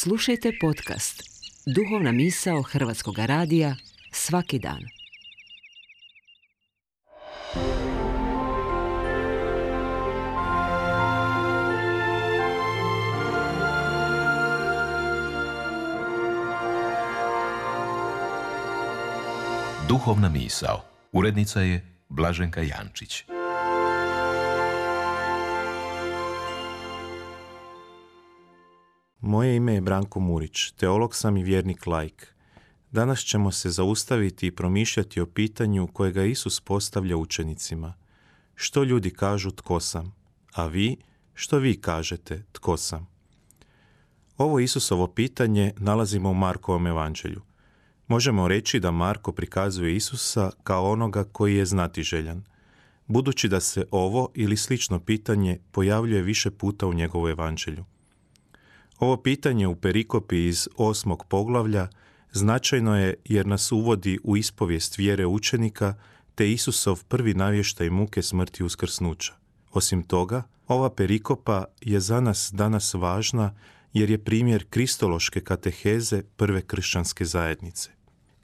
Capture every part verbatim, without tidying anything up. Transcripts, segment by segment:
Slušajte podcast Duhovna misao Hrvatskog radija svaki dan. Duhovna misao. Urednica je Blaženka Jančić. Moje ime je Branko Murić, teolog sam i vjernik laik. Danas ćemo se zaustaviti i promišljati o pitanju kojega Isus postavlja učenicima. Što ljudi kažu tko sam, a vi, što vi kažete tko sam? Ovo Isusovo pitanje nalazimo u Markovom evanđelju. Možemo reći da Marko prikazuje Isusa kao onoga koji je znatiželjan, budući da se ovo ili slično pitanje pojavljuje više puta u njegovu evanđelju. Ovo pitanje u perikopi iz osmog poglavlja značajno je jer nas uvodi u ispovijest vjere učenika te Isusov prvi navještaj muke, smrti i uskrsnuća. Osim toga, ova perikopa je za nas danas važna jer je primjer kristološke kateheze prve kršćanske zajednice.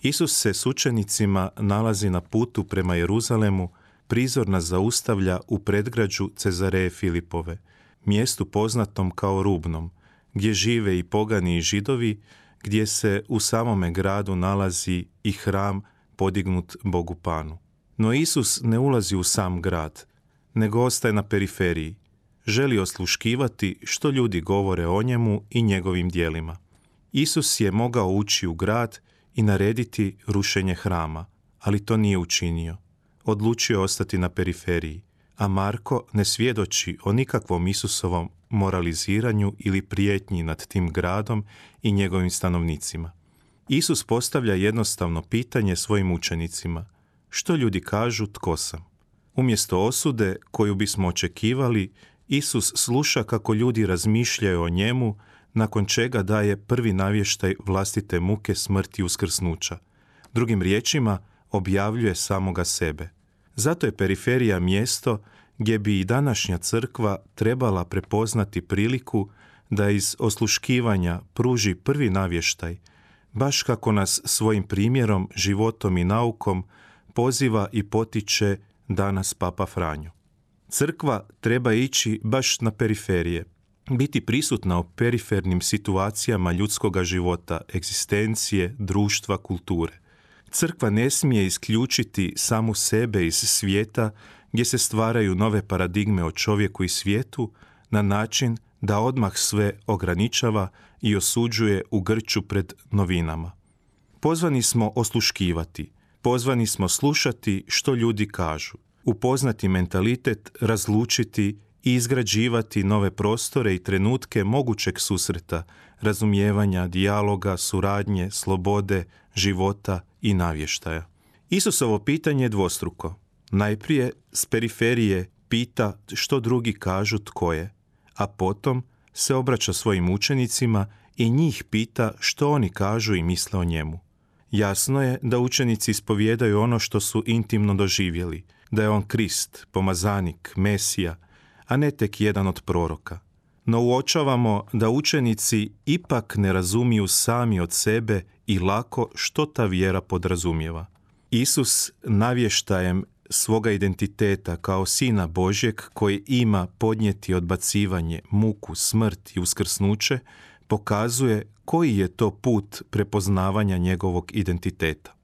Isus se s učenicima nalazi na putu prema Jeruzalemu, prizor nas zaustavlja u predgrađu Cezareje Filipove, mjestu poznatom kao Rubnom, gdje žive i pogani i Židovi, gdje se u samome gradu nalazi i hram podignut Bogu Panu. No Isus ne ulazi u sam grad, nego ostaje na periferiji. Želi osluškivati što ljudi govore o njemu i njegovim djelima. Isus je mogao ući u grad i narediti rušenje hrama, ali to nije učinio. Odlučio je ostati na periferiji, a Marko ne svjedoči o nikakvom Isusovom moraliziranju ili prijetnji nad tim gradom i njegovim stanovnicima. Isus postavlja jednostavno pitanje svojim učenicima: što ljudi kažu tko sam? Umjesto osude koju bismo očekivali, Isus sluša kako ljudi razmišljaju o njemu, nakon čega daje prvi navještaj vlastite muke, smrti i uskrsnuća. Drugim riječima, objavljuje samoga sebe. Zato je periferija mjesto gdje bi i današnja crkva trebala prepoznati priliku da iz osluškivanja pruži prvi navještaj, baš kako nas svojim primjerom, životom i naukom poziva i potiče danas Papa Franjo. Crkva treba ići baš na periferije, biti prisutna u perifernim situacijama ljudskoga života, egzistencije, društva, kulture. Crkva ne smije isključiti samu sebe iz svijeta gdje se stvaraju nove paradigme o čovjeku i svijetu na način da odmah sve ograničava i osuđuje u grču pred novinama. Pozvani smo osluškivati, pozvani smo slušati što ljudi kažu, upoznati mentalitet, razlučiti i izgrađivati nove prostore i trenutke mogućeg susreta, razumijevanja, dijaloga, suradnje, slobode, života i navještaja. Isusovo pitanje je dvostruko. Najprije s periferije pita što drugi kažu tko je, a potom se obraća svojim učenicima i njih pita što oni kažu i misle o njemu. Jasno je da učenici ispovijedaju ono što su intimno doživjeli, da je on Krist, pomazanik, Mesija, a ne tek jedan od proroka. No uočavamo da učenici ipak ne razumiju sami od sebe i lako što ta vjera podrazumijeva. Isus navještajem svoga identiteta kao Sina Božjeg koji ima podnijeti odbacivanje, muku, smrt i uskrsnuće, pokazuje koji je to put prepoznavanja njegovog identiteta.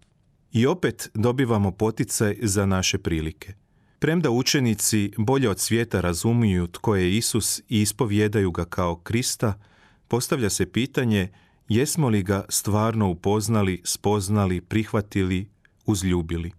I opet dobivamo poticaj za naše prilike. Premda učenici bolje od svijeta razumiju tko je Isus i ispovijedaju ga kao Krista, postavlja se pitanje jesmo li ga stvarno upoznali, spoznali, prihvatili, uzljubili.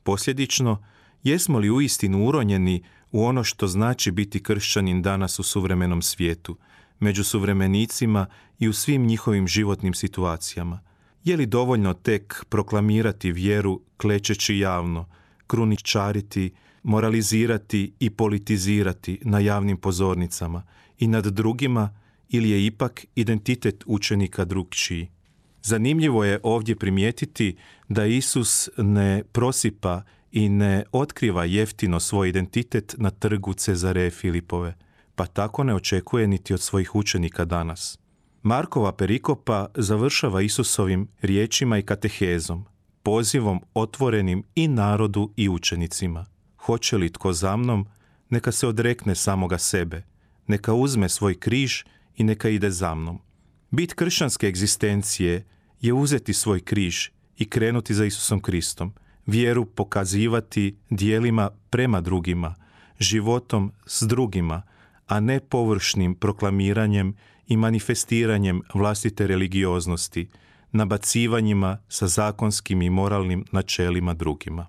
Posljedično, jesmo li uistinu uronjeni u ono što znači biti kršćanin danas u suvremenom svijetu, među suvremenicima i u svim njihovim životnim situacijama? Je li dovoljno tek proklamirati vjeru klečeći javno, kruničariti, moralizirati i politizirati na javnim pozornicama i nad drugima, ili je ipak identitet učenika drukčiji? Zanimljivo je ovdje primijetiti da Isus ne prosipa i ne otkriva jeftino svoj identitet na trgu Cezareje Filipove, pa tako ne očekuje niti od svojih učenika danas. Markova perikopa završava Isusovim riječima i katehezom, pozivom otvorenim i narodu i učenicima. Hoće li tko za mnom, neka se odrekne samoga sebe, neka uzme svoj križ i neka ide za mnom. Bit kršćanske egzistencije je uzeti svoj križ i krenuti za Isusom Kristom, vjeru pokazivati djelima prema drugima, životom s drugima, a ne površnim proklamiranjem i manifestiranjem vlastite religioznosti, nabacivanjima sa zakonskim i moralnim načelima drugima.